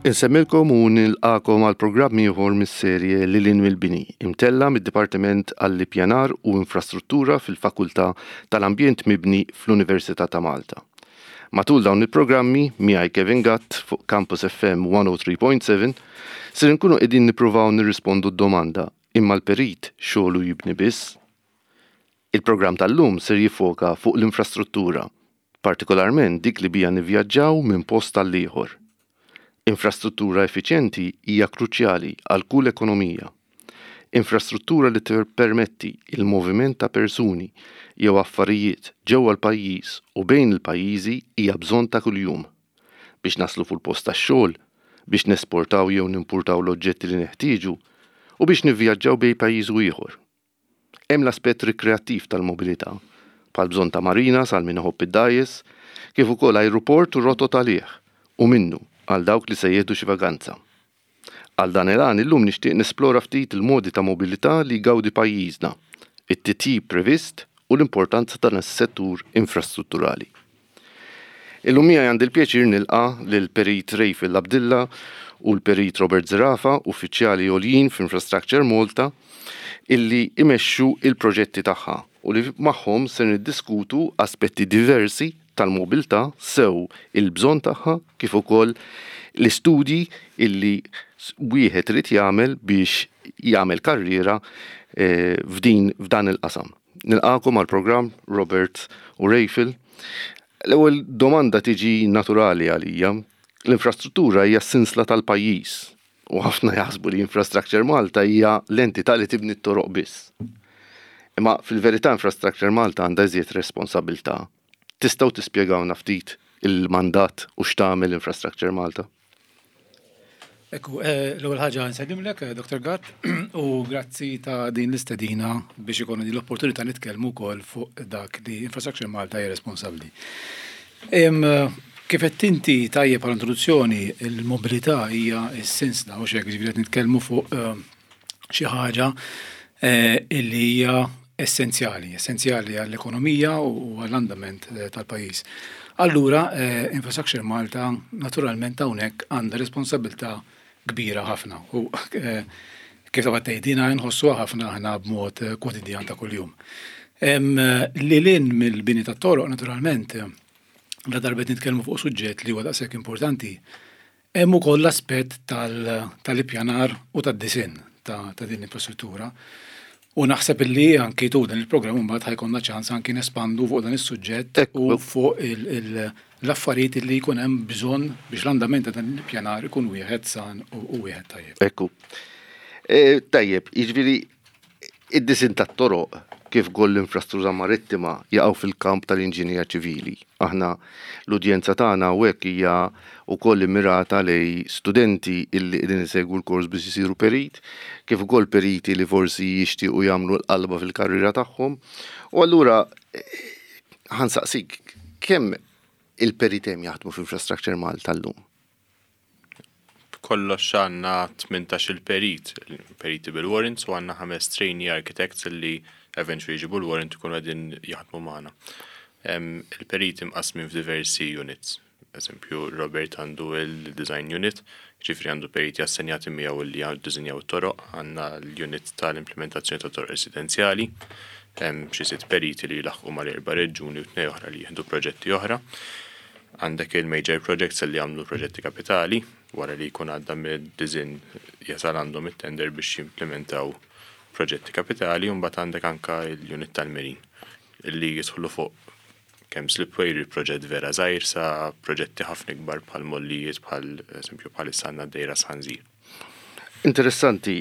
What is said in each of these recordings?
Insemmilkom u nilqakom għal programm ieħor mis-serje Lil hinn mill-Bini, imtella' mid-Dipartiment għall-Ippjanar u Infrastruttura fil-Fakultà tal-Ambjent Mibni fl-Università ta' Malta. Matul dawn il-programmi, miegħi Kevin Gatt fuq Campus FM 103.7, ser inkunu qegħdin nippruvaw nirrispondu d-domanda, imma l-perit xogħlu jibni biss? Il-programm tal-lum ser jiffoka fuq l-infrastruttura, partikolarment dik li biha nivvjaġġaw minn post għal ieħor. Infrastruttura effiċjenti hija kruċjali għal kull ekonomija. Infrastruttura li tippermetti l-moviment ta' persuni jew affarijiet ġewwa l-pajjiż u bejn il-pajjiżi hija bżonn ta' kuljum. Biex naslu fuq il-post tax-xogħol, biex nesportaw jew nimpurtaw l-oġġetti li neħtieġu u biex nivvjaġġaw bejn pajjiż u ieħor. Hemm l-aspett rikreattiv tal-mobilità, bħall-bżonn ta' marinas għal min iħobb id-dgħajjes, kif ukoll ajruport u rotot għalih u minnu għal dawk li se jieħdu xi vaganza. Għal dan il-għan illum nixtieq nesplora ftit il-modi ta' mobilità li jgawdi pajjiżna, it-titjib previst u l-importanza ta' dan is-settur infrastrutturali. Illum miegħi għandi l-pjaċir nilqa' lill-Perit Rayfil Abdilla u l-Perit Robert Zerafa, uffiċjali għoljin f'Infrastructure Malta, illi imexxu il-proġetti tagħha u li magħhom se niddiskutu aspetti diversi tal-mobilità sew il-bżonn tagħha kif ukoll l-istudji illi wieħed irid jagħmel biex jagħmel karriera eh, f'din f'dan il-qasam. Nilqakom għall-programm Robert u Rayfil. L-ewwel domanda tiġi naturali għalija. L-infrastruttura hija s-sinsla tal-pajjiż u ħafna jaħsbu li Infrastructure Malta hija l-entità li tibni t-toroq biss. Imma fil-verità Infrastructure Malta għandha iżjed responsabilità. Tistgħu tispjegawna ftit il-mandat u x'tagħmel Infrastructure Malta? Ekku, eh, l-ewwel ħaġa nsellimlek, eh, Dr. Gatt, u grazzi ta' din l-istedina biex ikunu din l-opportunità nitkellmu wkoll fuq dak li Infrastructure Malta hija responsabbli. Kif qed inti tajjeb għal introduzzjoni, il-mobilità hija s-sinsla u xek, ġifieri qed nitkellmu fuq eh, xi ħaġa eh, illi hija essenzjali, essenzjali għall-ekonomija u għall-andament eh, tal-pajjiż. Allura, Infrastructure Malta naturalment hawnhekk għandha responsabilità kbira ħafna u kif ta' tgħidina nħossuha ħafna aħna b'mod kwotidjan ta' kuljum. Lil hinn mill-bini tat-toroq naturalment, la darba qed nitkellmu fuq suġġett li huwa daqshekk importanti, hemm ukoll l-aspett tal-ippjanar u tad-disinn ta' din l-infrastruttura. U naħseb illi anki tul dan il-programm imbagħad ħa jkollna ċans anki nespandu fuq dan is-suġġett u fuq l-affarijiet li jkun hemm bżonn biex l-andament ta' dan l-ippjanar ikun wieħed san u wieħed tajjeb. Ekku. E, tajjeb, jiġifieri id-disinn tat-toroq kif ukoll l-infrastruttura marittima jaqgħu fil-kamp tal-inġinija ċivili. Aħna l-udjenza tagħna hawnhekk hija wkoll immirata lejn studenti illi qegħdin isegwu l-kors biex isiru perit, kif ukoll periti li forsi jixtiequ jagħmlu l-qalba fil-karriera tagħhom. U allura ħa nsaqsik kemm il-periti hemm jaħdmu f'Infrastructure Malta llum? B'kollox għandna 18 il-perit, periti bil-warrants u għandna ħames trainee architects li eventually jġibu l-warrant ikunu qegħdin jaħdmu magħna. Il-periti mqasmin f'diversi units. Eżempju, Robert għandu il-design unit, ġifieri għandu periti assenjati miegħu li jiddisinjaw it-toroq, għandna l-unit tal-implementazzjoni ta' toroq residenzjali, xi sitt periti li jlaħħqu mal-erba' reġjuni u tnej oħra li jieħdu proġetti oħra. Għandek il-major projects li jagħmlu proġetti kapitali, wara li jkun għadda mid-design jasal għandhom it-tender biex jimplementaw proġetti kapitali, u mbagħad għandek anka l-unit tal-marine li jidħlu fuq kemm slipway li proġett vera żgħir sa proġetti ħafna ikbar bħal mollijiet bħal eżempju bħalissa għandna d-Dejra Sħanżir. Interessanti.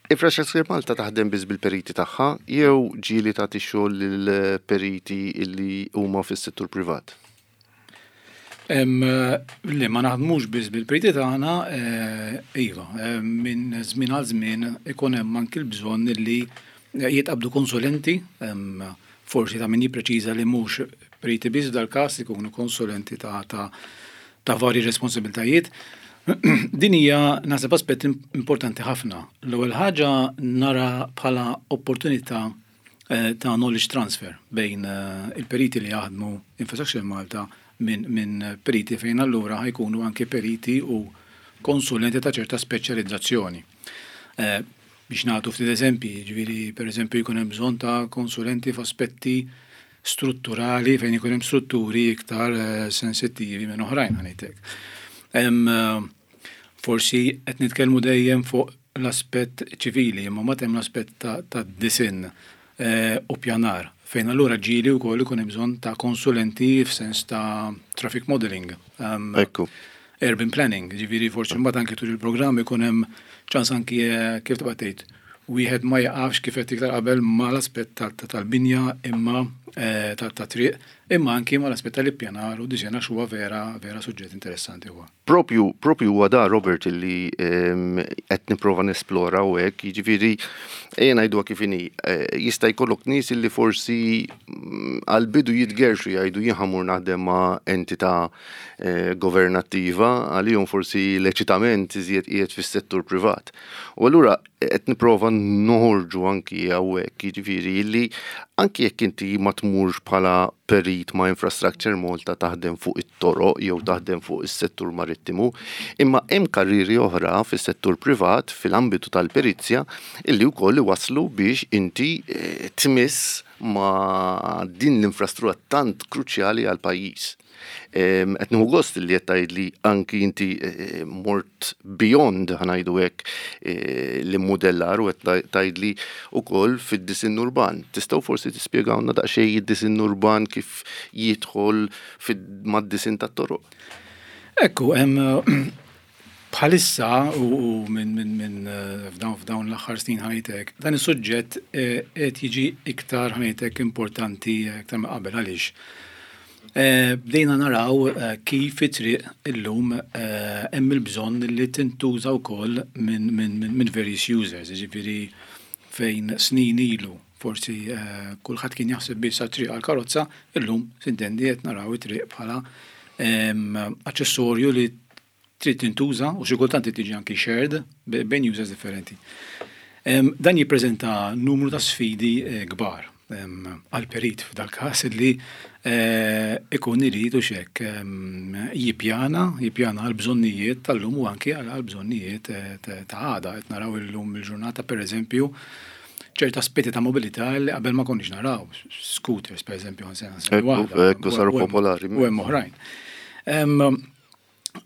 Infrastructure Malta taħdem biss bil-periti tagħha jew ġieli tagħti xogħol lil periti li huma fis-settur privat? Le, ma naħdmux biss bil-periti tagħna, eh, iva, minn żmien għal żmien ikun hemm anki l-bżonn li jitqabdu konsulenti, forsi ta' min jippreċiża li mhux periti biss dal-każ ikunu konsulenti ta' ta' ta' varji responsabiltajiet. Din hija naħseb aspett importanti ħafna. L-ewwel ħaġa nara bħala opportunità eh, ta' knowledge transfer bejn eh, il-periti li jaħdmu Infrastructure Malta minn periti fejn allura ħa jkunu anki periti u konsulenti ta' ċerta speċjalizzazzjoni. Biex nagħtu ftit eżempji, jiġifieri pereżempju jkun hemm bżonn ta' konsulenti f'aspetti strutturali fejn ikun hemm strutturi iktar sensittivi minn oħrajn ħa ngħid hekk. Forsi qed nitkellmu dejjem fuq l-aspett ċivili, imma mbagħad hemm l-aspett ta' disinn u pjanar, fejn allura ġieli wkoll ikun hemm bżonn ta' konsulenti f'sens ta' traffic modelling. Ekku. Urban planning, ġifieri forsi mbagħad anki tul il-programm ikun hemm ċans anki kif tibqa' tgħid, wieħed ma jaqafx kif qed iktar qabel mal-aspett tal-binja imma tat-triq, imma anki mal-aspett tal-ippjanar u disinn għax huwa vera vera suġġett interessanti huwa. Propju, propju huwa da Robert illi qed nipprova nesplora u hekk, jiġifieri ejja ngħiduha kif inhi, jista' jkollok nies illi forsi għall-bidu jitgerrxu jgħidu jien ħa mmur naħdem ma' entità governattiva, għalihom forsi l-eċitament iżjed qiegħed fis-settur privat. U allura qed nipprova noħorġu anki hawnhekk, jiġifieri li anki jekk inti ma tmurx bħala perit ma' Infrastructure Malta taħdem fuq it-toroq jew taħdem fuq is-settur marittimu, imma hemm karrieri oħra fis-settur privat fil-ambitu tal-perizja illi wkoll iwasslu biex inti eh, tmiss ma' din l-infrastruttura tant kruċjali għall-pajjiż. Qed nieħu gost li qed tgħidli anki inti eh, mort beyond ħa ngħidu hekk eh, l-immudellar u qed tgħidli wkoll fid-disinn urban. Tistgħu forsi tispjegawna daqsxejn id-disinn urban kif jidħol mad-disinn tat-toroq? Ekku, bħalissa u minn eh, f'dawn l-aħħar snin ħajtek, dan is-suġġett qed jiġi iktar ħajtek importanti iktar ma' qabel għaliex. Bdejna naraw kif it-triq illum hemm il-bżonn li tintuża wkoll minn various users, jiġifieri fejn snin ilu forsi kulħadd kien jaħseb biss għat-triq għall-karozza, illum s'intendi qed naraw it-triq bħala aċċessorju li trid tintuża u xi kultant trid tiġi anki shared bejn users differenti. Dan jippreżenta numru ta' sfidi eh, kbar għal perit f'dal-każ li eh, ikun irid u xek jippjana, jippjana għal bżonnijiet tal-lum u anki għal bżonnijiet eh, ta' għada. Qed naraw illum il-ġurnata pereżempju ċerta aspetti ta' mobilità li qabel ma konniex naraw, scooters pereżempju għan waħda. Ekku saru popolari. U hemm oħrajn.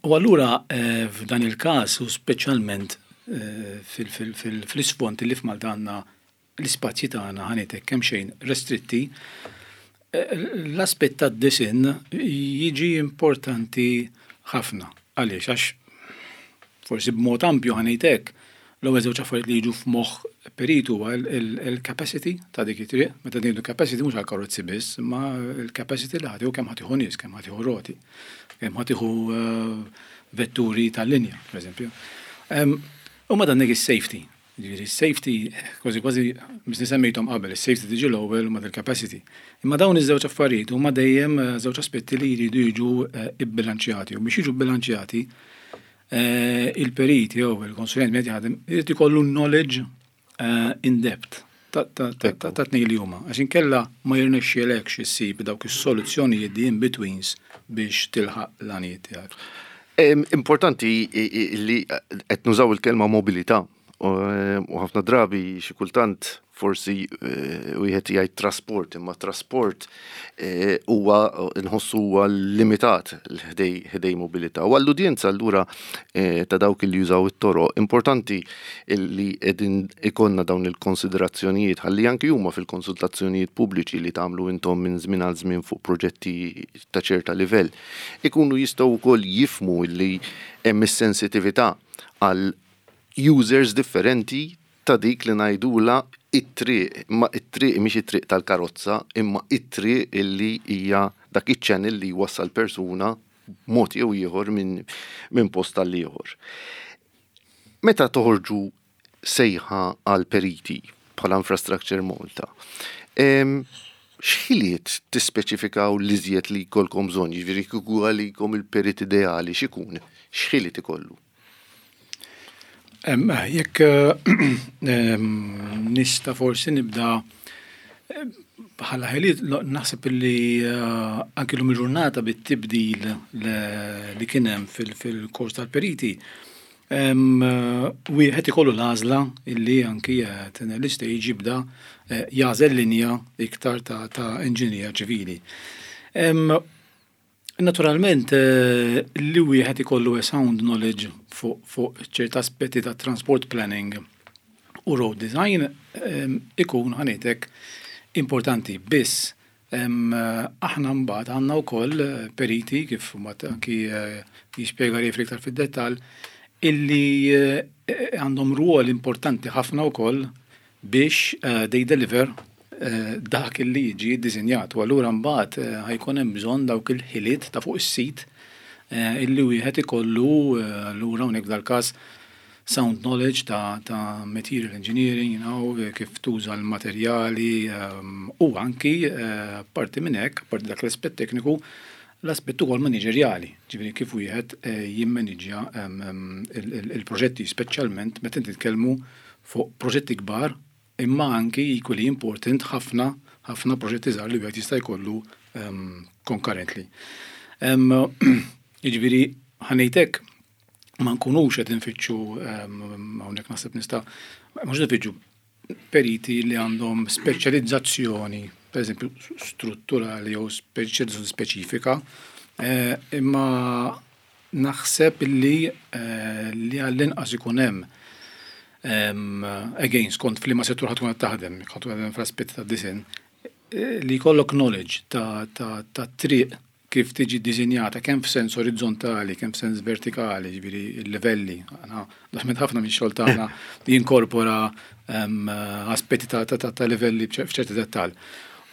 U allura f'dan il-każ u speċjalment fl-isfond li f'Malta għandna l-ispazji tagħna ħa ngħid hekk kemxejn restritti, l-aspett tad-disinn jiġi importanti ħafna. Għaliex? Għax forsi b'mod ampju ħa ngħid hekk, L-ewwel żewġ affarijiet li jiġu f'moħħ perit huwa l-capacity ta' dik it-triq. Meta ngħidu capacity mhux għall-karozzi biss, imma l-capacity li ħa tieħu kemm ħa tieħu nies, kemm ħa tieħu roti, kemm ħa tieħu vetturi tal-linja, pereżempju. U ma dan is-safety. Ġifieri s-safety kważi kważi misni semmejthom qabel, is-safety tiġi l-ewwel u mbagħad il-capacity. Imma dawn iż-żewġ affarijiet huma dejjem żewġ aspetti li jridu jiġu bbilanċjati u biex jiġu bbilanċjati il-perit jew il-konsulent min qed jaħdem irid ikollu knowledge in depth ta' tnejn li huma. Għax inkella ma jirnexxielekx issib dawk is-soluzzjonijiet the in-betweens biex tilħaq l-għanijiet tiegħek. Importanti li qed nużaw il-kelma mobilità U ħafna drabi xi kultant forsi eh, wieħed jgħid trasport, imma trasport eh, huwa nħossu huwa limitat ħdej mobilità. U għall-udjenza allura eh, ta' dawk li jużaw it-toroq, importanti li qegħdin ikonna dawn il-konsiderazzjonijiet ħalli anki huma fil-konsultazzjonijiet pubbliċi li tagħmlu intom minn żmien għal żmien fuq proġetti ta' ċerta livell, ikunu jistgħu wkoll jifmu li hemm is-sensitività għal users differenti ta' dik li ngħidulha it-triq, imma it-triq mhix it-triq tal-karozza, imma it-triq illi hija dak iċ-channel li jwassal persuna b'mod jew ieħor minn min post għal ieħor. Meta toħorġu sejħa għal periti bħala Infrastructure Malta, x'ħiliet tispeċifikaw l-iżjed li jkollkom bżonn, jiġifieri kieku għalikom il-perit ideali x'ikun, x'ħiliet ikollu? Jekk nista' forsi nibda Bħala ħiliet naħseb li anki llum il-ġurnata bit-tibdil li kien hemm fil-kors tal-periti, wieħed ikollu l-għażla illi anki l-istage jibda jagħżel linja iktar ta' inġinierija ċivili. Naturalment li wieħed ikollu a sound knowledge fuq ċerta aspetti ta' transport planning u road design ikun, ħa ngħidlek, importanti, biss aħna mbagħad għandna wkoll periti, kif mbagħad anki jispjega Ray iktar fid-dettall, illi għandhom rwol importanti ħafna wkoll biex they deliver dak illi jiġi ddisinjat. U allura mbagħad ħa jkun hemm bżonn dawk il-ħiliet ta' fuq is-sit illi wieħed ikollu allura hawnhekk f'dal-każ sound knowledge ta' material engineering, kif tuża l-materjali u anki parti minn hekk, parti dak l-aspett tekniku, l-aspett ukoll maniġerjali, ġifieri kif wieħed jimmaniġġja il-proġetti, speċjalment meta nitkellmu fuq proġetti kbar, imma anki equally important ħafna ħafna proġetti żgħar li wieħed jista' jkollu concurrently. Jiġifieri, ħa ngħidlek, ma nkunux qed infittxu, hawnhekk naħseb nista', mhux nfittxu periti li għandhom speċjalizzazzjoni, per eżempju, strutturali jew speċjalizzazzjoni speċifika, imma naħseb li għall-inqas ikun hemm, again, skont f'liema settur ħa tkun qed taħdem, ħa tkun taħdem fl-aspetti ta' design, li jkollok knowledge ta' triq kif tiġi ddisinjata kemm f'sens orizzontali, kemm f'sens vertikali, ġifieri l-livelli. Aħna naħmed ħafna minn xogħol tagħna jinkorpora aspetti ta' livelli f'ċerti dettall.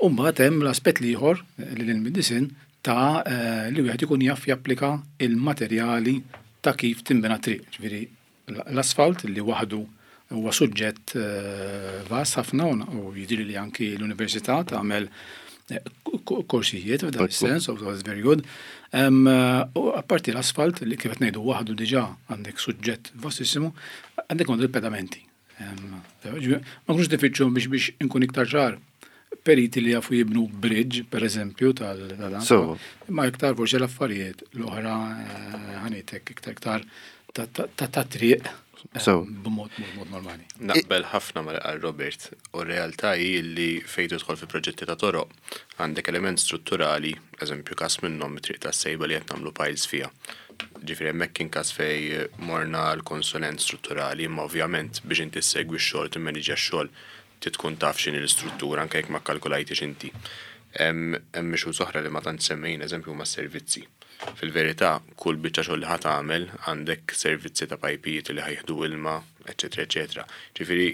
U mbagħad hemm l-aspett l-ieħor li lil mid-disinn ta' li wieħed ikun jaf japplika il-materjali ta' kif tinbena triq. Ġifieri l-asfalt li waħdu huwa suġġett vast ħafna u jidhirli li anki l-università tagħmel korsijiet f'dan is-sens, so that's very good. U apparti l-asfalt li kif qed ngħidu waħdu diġà għandek suġġett vastissimu, għandek għandu il-pedamenti. Ma nkunux nifittxu, biex inkun iktar ċar, periti li jafu jibnu bridge, per eżempju, tal Ma iktar forsi l-affarijiet l-oħra, ħa ngħidlek, iktar ta' triq b'mod mod normali. Naqbel ħafna ma' qal Robert, u r-realtà hi li fejn tidħol fi proġetti ta' toroq għandek element strutturali, eżempju każ minnhom it-triq tas-Sejba li qed nagħmlu piles fiha. Ġifieri hemmhekk kien każ fej morna l-konsulent strutturali, imma ovvjament biex inti ssegwi x-xogħol, timmaniġġja x-xogħol, trid tkun taf x'inhi l-istruttura anke jekk ma kkalkulajtix inti. Hemm issues oħra li ma tantx semmejn, eżempju huma s-servizzi. Fil-verità, kull biċċa xogħol li ħa tagħmel għandek servizzi ta' pajpijiet li ħa jieħdu ilma, eċetera, eċetera. Ġifieri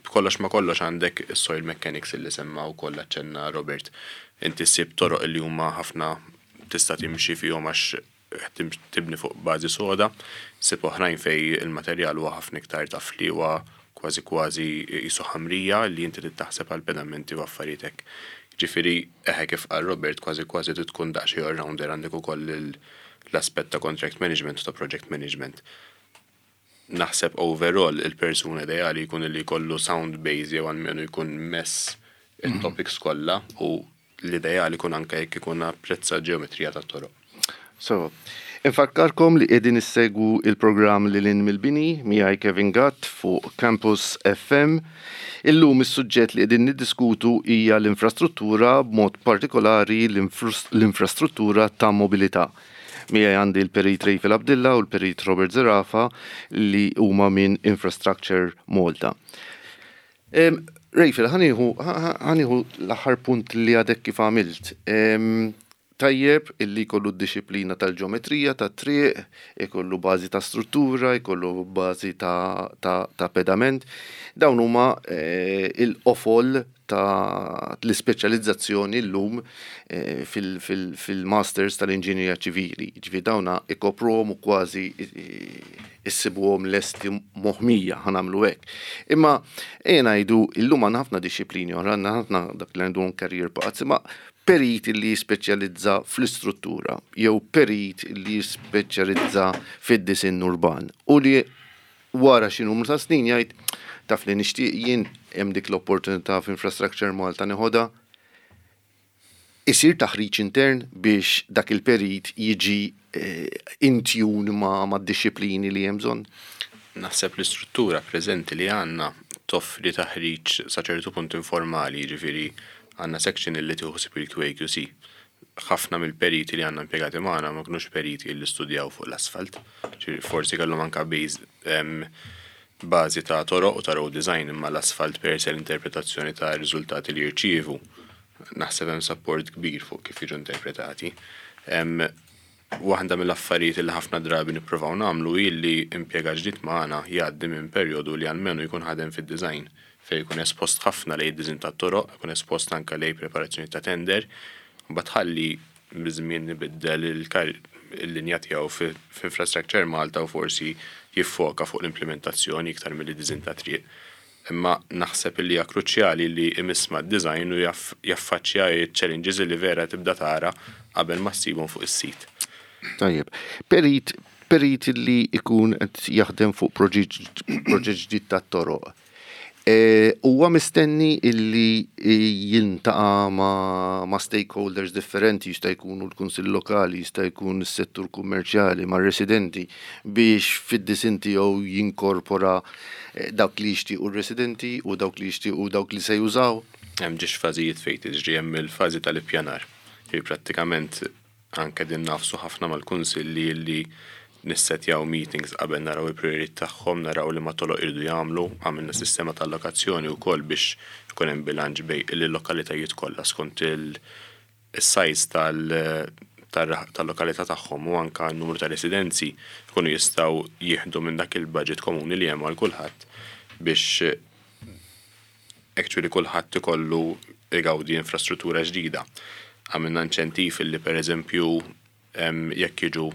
b'kollox ma kollox għandek is-soil mechanics li semma wkoll aċċenna Robert. Inti ssib toroq li huma ħafna tista' timxi fihom għax tibni fuq bażi soda, ssib oħrajn fej il-materjal huwa ħafna iktar tafli, huwa kważi kważi qisu ħamrija li inti trid taħseb għal pedamenti u affarijiet hekk. Ġifieri eħe, kif qal Robert, kważi kważi trid tkun daqsxejn all-rounder, għandek ukoll l-aspett ta' contract management u ta' project management. Naħseb overall il-persuna ideali jkun li jkollu sound base jew almenu jkun mess il-topics kollha u l-ideali jkun anke jekk ikun apprezza ġeometrija tat-toroq. So, infakkarkom li qegħdin issegwu il-programm Lil Hinn mill-Bini miegħi Kevin Gatt fuq Campus FM. Illum is-suġġett li qegħdin niddiskutu hija l-infrastruttura, b'mod partikolari l-infrastruttura ta' mobilità. Miegħi għandi l-Perit Rayfel Abdilla u l-Perit Robert Zerafa li huma minn Infrastructure Malta. Rayfel, ħa nieħu l-aħħar punt li għadek kif għamilt. Tajjeb illi jkollu d-disciplina tal-ġeometrija, tat-triq, ikollu bażi ta' struttura, jkollu bażi ta' pedament. Dawn huma il-qofol ta' l-ispeċjalizzazzjoni llum fil-masters tal-inġinjerija ċivili. Ġifieri dawna ikopruhom u kważi issibuhom lesti moħmija, ħa nagħmlu hekk. Imma ejja ngħidu illum għandna ħafna disciplini oħra, għandna ħafna dak li għandhom career paths, imma perit li jispeċjalizza fl-istruttura jew perit li jispeċjalizza fid-disinn urban u li wara xi numru ta' snin jgħid taf li nixtieq jien hemm dik l-opportunità f'Infrastructure Malta neħodha. Isir taħriġ intern biex dak il-perit jiġi in tune mad-dixxiplini li hemm bżonn? Naħseb l-istruttura preżenti li għandna toffri taħriġ sa ċertu punt informali, jiġifieri għandna section illi tieħu ħsieb il-QAQC. Ħafna mill-periti li għandna impjegati magħna ma kinux periti li studjaw fuq l-asfalt, ġifieri forsi kellhom anke bażi ta' toroq u ta' road design imma l-asfalt per se l-interpretazzjoni ta' riżultati li jirċievu naħseb hemm support kbir fuq kif jiġu interpretati. Waħda mill-affarijiet li ħafna drabi nippruvaw nagħmlu hi li impjegat ġdid magħna jgħaddi minn perjodu li almenu jkun ħadem fid-design fejn jkun espost ħafna lejn id-design tat-toroq, jkun espost anke lejn preparazzjoni ta' tender, mbagħad ħalli biż-żmien ibiddel il-linja tiegħu f'Infrastructure Malta u forsi jiffoka fuq l-implementazzjoni iktar milli design ta' triq. Imma naħseb li hija kruċjali li imiss mad-design u jaffaċċja ċ-challenges li vera tibda tara qabel ma ssibhom fuq is-sit. Tajjeb. Perit, perit li ikun qed jaħdem fuq proġett ġdid tat-toroq. Huwa mistenni illi jiltaqa' ma' stakeholders differenti, jista' jkunu l-Kunsill Lokali, jista' jkun is-settur kummerċjali, mar-residenti biex fid-disinn tiegħu jinkorpora dawk li jixtiequ r-residenti u dawk li jixtiequ dawk li se jużaw? Hemm ġiex fażijiet fejn tiġri, hemm il-fażi tal-ippjanar. Prattikament anke din nagħfsu ħafna mal-kunsilli li nissetjaw meetings qabel naraw il-prioritajiet tagħhom, naraw li ma toloq iridu jagħmlu, għamilna sistema ta' allokazzjoni wkoll biex ikun hemm bilanċ bejn il-lokalitajiet kollha skont il-size tal-lokalità tagħhom u anka n-numru ta' residenzi jkunu jistgħu jieħdu minn dak il-budget komuni li hemm għal kulħadd biex actually kulħadd ikollu igawdi infrastruttura ġdida. Għamilna inċentiv li pereżempju jekk jiġu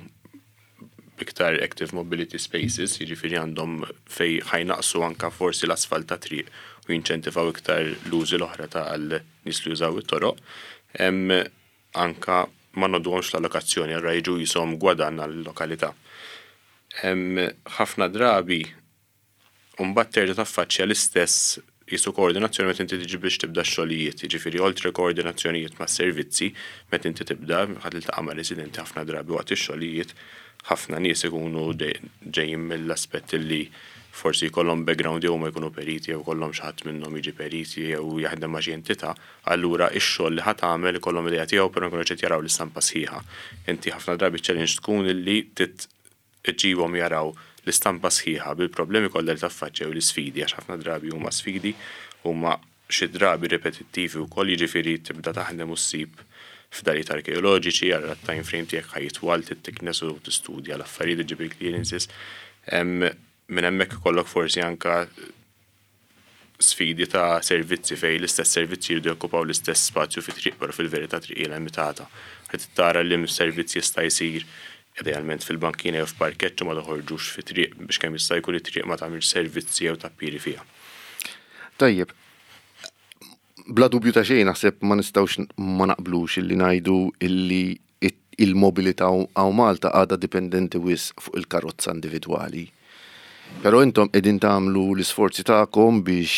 iktar active mobility spaces, jiġifieri għandhom fej ħa jnaqqsu anka forsi l-asfalt ta' triq u jinċentivaw iktar l-użi l-oħra tal-nies li jużaw it-toroq. Anka ma noħduhomx l-allokazzjoni, allura jiġu jisom gwadann għall-lokalità. Ħafna drabi mbagħad terġa' taffaċċja l-istess jisu koordinazzjoni meta inti tiġi biex tibda x-xogħlijiet, jiġifieri oltre koordinazzjonijiet ma' servizzi, meta inti tibda ħa tiltaqa' ma' residenti ħafna drabi waqt ix-xogħlijiet, ħafna nies ikunu ġejjin mill-aspett li forsi jkollhom background jew ma jkunu periti jew kollhom xi ħadd minnhom jiġi periti jew jaħdem ma' xi entità, allura ix-xogħol li ħa tagħmel ikollhom idea tiegħu però jkunu qed jaraw l-istampa sħiħa. Inti ħafna drabi challenge tkun illi iġġibhom jaraw l-istampa sħiħa bil-problemi kollha li taffaċċja u l-isfidi, għax ħafna drabi huma sfidi, huma xi drabi ripetittivi wkoll, jiġifieri tibda taħdem u ssib fdalijiet arkeoloġiċi, allura t-time frame tiegħek ħa jitwal, tittiknes u tistudja l-affarijiet, iġġib il-clearances. Minn hemmhekk ikollok forsi anka sfidi ta' servizzi fej l-istess servizzi jridu jokkupaw l-istess spazju fi triq, però fil-verità triq hija limitata. Qed tara li servizz jista' jsir idealment fil-bankina jew f'parkeġġ u ma toħorġux fi triq biex kemm jista' jkun it-triq ma tagħmilx servizzi jew tappiri fiha. Tajjeb, bla dubju ta' xejn naħseb ma nistgħux ma naqblux illi ngħidu illi il-mobilità hawn Malta għadha dipendenti wisq fuq il-karozza individwali. Però intom qegħdin tagħmlu l-isforzi tagħkom biex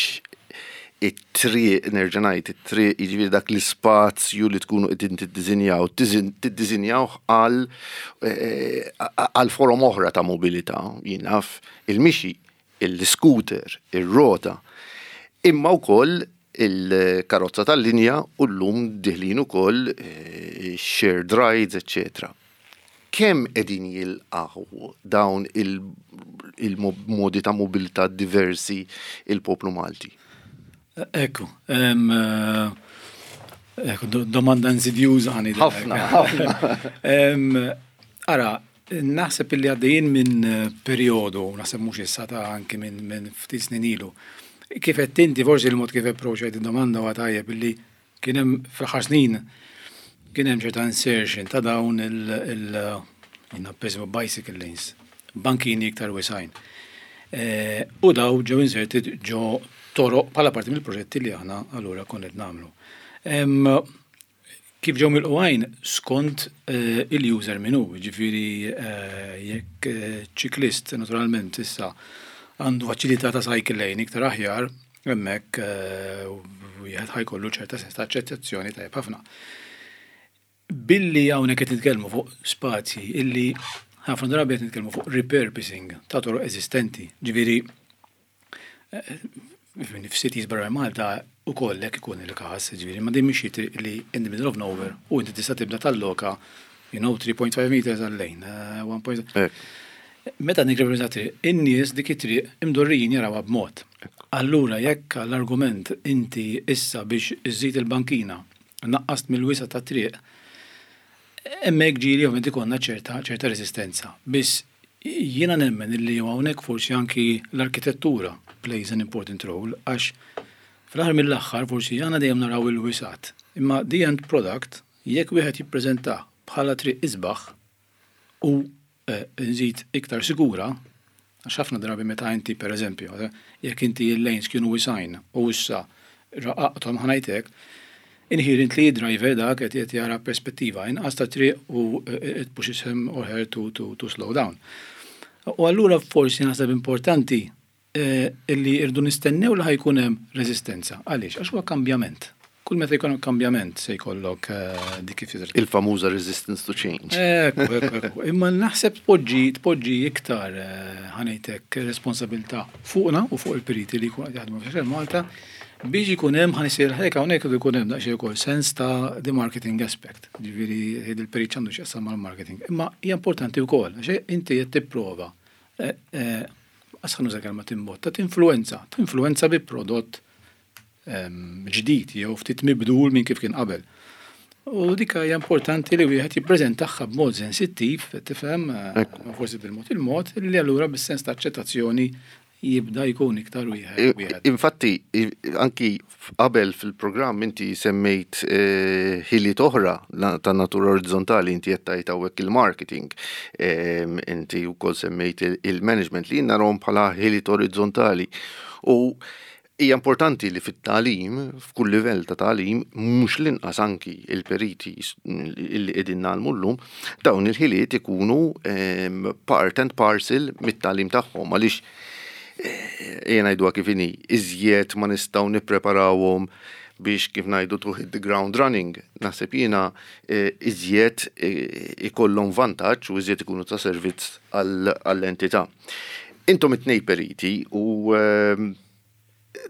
it-triq, nerġa' ngħid, it-triq jiġifieri dak l-ispazju li tkunu qegħdin tiddisinjaw, tiddisinjawh għal forom oħra ta' mobilità, jien naf il-mixi, il-scooter, ir-rota, imma wkoll il-karozza tal-linja u llum deħlin ukoll shared rides, eccetera. Kemm qegħdin jilqgħu dawn il-modi ta' mobilità diversi il-poplu Malti? Ekku, ekku, domanda insidjuża ħani. Ħafna, ħafna. Ara, naħseb illi għaddejjin minn perjodu, naħseb mhux issa ta' anki minn ftit snin ilu. Kif qed inti forsi il-mod kif approachajt id-domanda huwa tajjeb illi kien hemm fl-aħħar snin kien hemm ċerta insertion ta' dawn il jiena bicycle lanes, bankini iktar wisgħin. U daw ġew inserted ġo toroq bħala parti mill-proġetti li aħna allura konna qed nagħmlu. Kif ġew milqugħin skont il-user min hu, ġifieri jekk ċiklist naturalment issa. għandu faċilità ta' cycle lane iktar aħjar, hemmhekk wieħed ħa jkollu ċerta sens ta' aċċettazzjoni tajjeb ħafna. Billi hawnhekk qed nitkellmu fuq spazji illi ħafna drabi qed nitkellmu fuq repurposing ta' toroq eżistenti, ġifieri f'cities barra Malta ukoll hekk ikun il-każ, ġifieri ma din mhix triq li in the middle of nowhere u inti tista' tibda talloka 3.5 meters għal-lane, 1. Meta nikreprezenta triq, in-nies dik it-triq imdorrijin jarawha b'mod. Allura jekk l-argument inti issa biex iżżid il-bankina naqqast mill-wisa' tat-triq, hemmhekk ġieli ovvjament ikollna ċerta ċerta resistenza. Biss jiena nemmen illi hawnhekk forsi anki l-arkitettura plays an important role għax fl-aħħar mill-aħħar forsi aħna dejjem naraw il-wisgħat. Imma the end product jekk wieħed jippreżentah bħala triq isbaħ u nżid iktar sigura, għax ħafna drabi meta inti pereżempju, jekk inti l-lanes kienu wisgħin u issa raqaqthom ħa ngħid hekk, inherently driver dak qed qed jara perspettiva inqas ta' triq u it pushes him or her to, to, to slow down. U allura forsi naħseb importanti illi irdu nistennew li ħa jkun hemm reżistenza. Għaliex? Għax huwa kambjament. Kull meta jkun hemm kambjament se jkollok dik kif tidher. Il-famuża resistance to change. Ekku, ekku, ekku. Imma naħseb tpoġġi tpoġġi iktar ħa ngħidlek responsabilità fuqna u fuq il-periti li jkunu qed jaħdmu f'Xell Malta biex ikun hemm ħa nisir hekk hawnhekk irid ikun hemm daqsxejn ukoll sens ta' the marketing aspect. Ġifieri il-perit x'għandu x'jaqsam mal-marketing. Imma hija importanti wkoll għax inti qed tipprova qas ħa nuża kelma timbotta, tinfluwenza, tinfluwenza bi prodott ġdid jew ftit mibdul minn kif kien qabel. U dik hija importanti li wieħed jippreżentaha b'mod sensittiv, tifhem, forsi bil-mod il-mod, li allura bis-sens ta' aċċettazzjoni jibda jkun iktar wieħed. Infatti, anki qabel fil-programm inti semmejt ħiliet oħra ta' natura orizzontali, inti qed tgħid hawnhekk il-marketing, inti wkoll semmejt il-management li jien narahom bħala ħiliet orizzontali. U hija importanti li fit-tagħlim, f'kull livell ta' tagħlim, mhux l-inqas anki il-periti li qegħdin nagħmlu llum, dawn il-ħiliet ikunu part and parcel mit-tagħlim tagħhom għaliex ejja ngħiduha kif inhi, iżjed ma nistgħu nippreparawhom biex kif ngħidu to hit the ground running, naħseb jiena iżjed ikollhom vantaġġ u iżjed ikunu ta' servizz għall-entità. Intom it-tnej periti u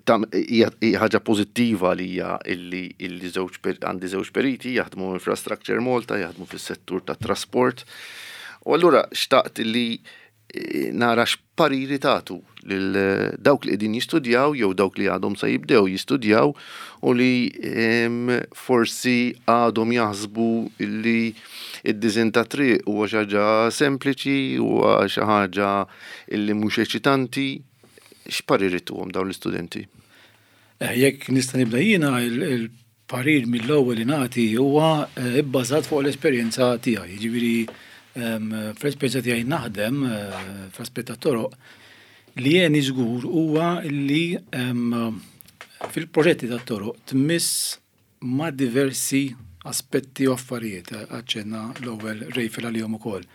hija ħaġa pożittiva li hija illi illi żewġ għandi żewġ periti jaħdmu Infrastructure Malta, jaħdmu fis-settur tat-trasport. U allura xtaqt li nara x'pariri tagħtu lil dawk li qegħdin jistudjaw jew dawk li għadhom se jibdew jistudjaw u li forsi għadhom jaħsbu li id-disinn ta' triq huwa xi ħaġa sempliċi, huwa xi ħaġa illi mhux eċitanti. X'pariri tuhom dawn l-istudenti? Jekk nista' nibda jiena, il-parir mill-ewwel li nagħti huwa bbażat fuq l-esperjenza tiegħi. Jiġifieri fl-esperjenza tiegħi naħdem fl-aspett tat-toroq li jeni żgur huwa li fil-proġetti tat-toroq tmiss ma' diversi aspetti u affarijiet aċċenna l-ewwel Rejfel għalihom ukoll.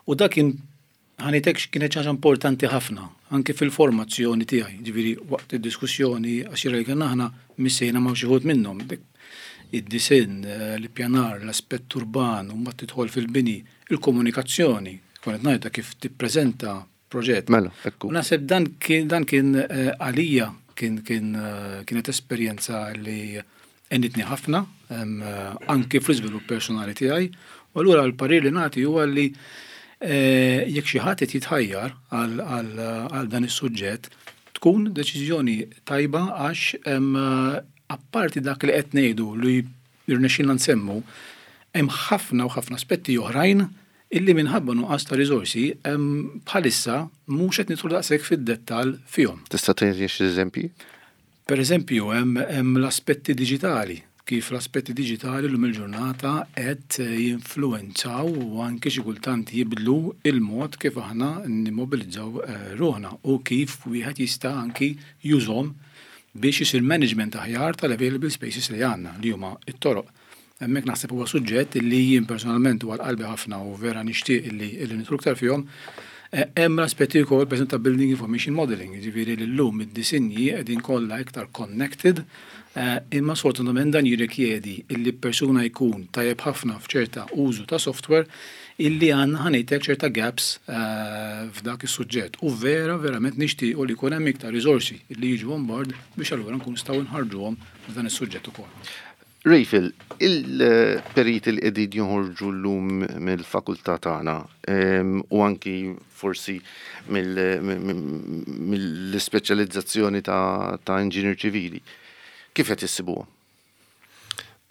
U dak kien ħa ngħidlek kienet xi ħaġa importanti ħafna anke fil-formazzjoni tiegħi, ġifieri waqt id-diskussjoni għaxira li kellna aħna missejna ma' xi wħud minnhom. Id-disinn, l-ippjanar, l-aspett urban, u mbagħad tidħol fil-bini, il-komunikazzjoni, kont qed ngħidha kif tippreżenta proġett. Mela, ekku. U naħseb dan kien dan kien għalija kien kien kienet esperjenza li għenitni ħafna anki fl-iżvilupp personali tiegħi. U allura l-parir li nagħti huwa li jekk xi ħadd qed jitħajjar għal dan is-suġġett, tkun deċiżjoni tajba għax apparti dak li qed ngħidu li rnexxilna nsemmu, hemm ħafna u ħafna aspetti oħrajn illi minħabba nuqqas ta' riżorsi bħalissa mhux qed nidħlu daqshekk fid-dettall fihom. Tista' tgħidli xi eżempji? Per eżempju, hemm l-aspetti diġitali, kif l-aspetti diġitali llum il-ġurnata qed jinfluwenzaw u anke xi kultant jibdlu il-mod kif aħna nimmobilizzaw ruħna u kif wieħed jista' anki jużhom biex isir management aħjar tal-available spaces li għandna li huma t-toroq. Hemmhekk naħseb huwa suġġett li jien personalment huwa qalbi ħafna u vera nixtieq illi illi nidħlu iktar fihom. Hemm l-aspetti wkoll pereżempju ta' building information modeling, jiġifieri li llum id-disinji qegħdin kollha iktar connected, imma sfortunatament dan jirrikjedi illi persuna jkun tajjeb ħafna f'ċerta użu ta' software illi għandna ħa ngħidlek ċerta gaps f'dak is-suġġett. U vera verament nixtiequ li jkun hemm iktar riżorsi li jiġu on board biex allura nkunu nistgħu nħarrġuhom f'dan is-suġġett ukoll. Rachel, il-periti li qegħdin joħorġu llum mill-fakultà tagħna u anki forsi mill-ispeċjalizzazzjoni ta' inġinier ċivili, kif qed issibuhom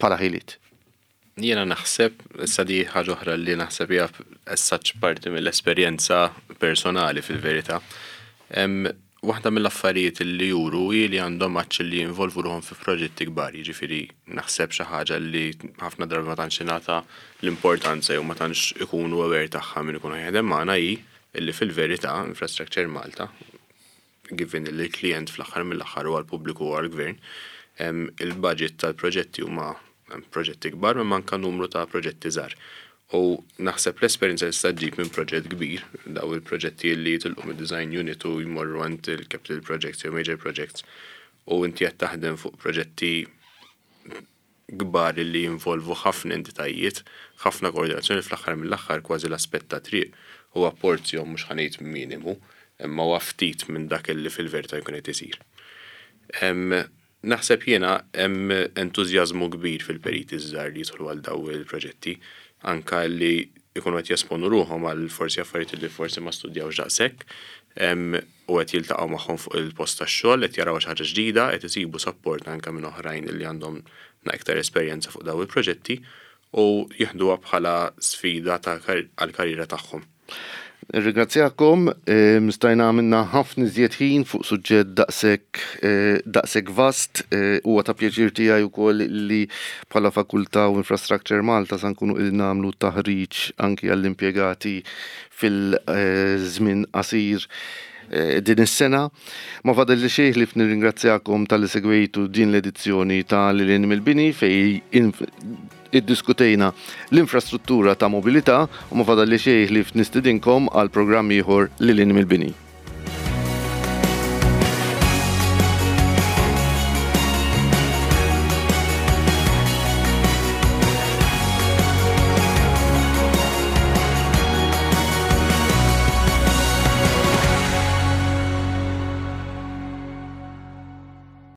bħala ħiliet? Jiena naħseb, issa di ħaġa oħra li naħseb hija as such parti mill-esperjenza personali fil-verità. Waħda mill-affarijiet li juru hi li għandhom għatx li jinvolvu ruħhom fi proġetti kbar, jiġifieri naħseb xi ħaġa li ħafna drabi ma tantx ingħata l-importanza jew ma tantx ikunu aware tagħha min ikun jaħdem magħna hi li fil-verità Infrastructure Malta, given li l-klijent fl-aħħar mill-aħħar huwa l-pubbliku u għall-gvern, il-budget tal-proġetti huma proġetti kbar imma anke numru ta' proġetti żgħar. U naħseb l-esperjenza li tista' ġġib minn proġett kbir, daw il-proġetti li jitilqu mid-design unit u jmorru għand il-capital projects jew major projects u inti qed taħdem fuq proġetti kbar li jinvolvu ħafna entitajiet, ħafna koordinazzjoni fl-aħħar mill-aħħar kważi l-aspett ta' triq huwa porzjon mhux ħa ngħid minimu, imma huwa ftit minn dak li fil-verità jkun qed isir. Naħseb jiena hemm entużjażmu kbir fil-periti ż-żgħar li jidħlu għal daw il-proġetti, anke li jkunu qed jesponu ruħhom għal forsi affarijiet li forsi ma studjawx daqshekk u qed jiltaqgħu magħhom fuq il-post tax-xogħol, qed jaraw xi ħaġa ġdida, qed isibu sapport anke minn oħrajn li għandhom iktar esperjenza fuq daw il-proġetti u jieħduha bħala sfida ta' għall-karriera tagħhom. Nirringrazzjakom, stajna għamilna ħafna iżjed ħin fuq suġġett daqshekk daqshekk vast. Huwa ta' pjaċir tiegħi wkoll li bħala Fakultà u Infrastructure Malta sa nkunu qegħdin nagħmlu taħriġ anki għall-impjegati fil-żmien qasir din is-sena. Ma fadalli xejn ħlief nirringrazzjakom talli segwejtu din l-edizzjoni ta' Lil Hinn mill-Bini fejn iddiskutejna l-infrastruttura ta' mobilità u ma fadalli xejn ħlief nistidinkom għal programm ieħor Lil Hinn mill-Bini.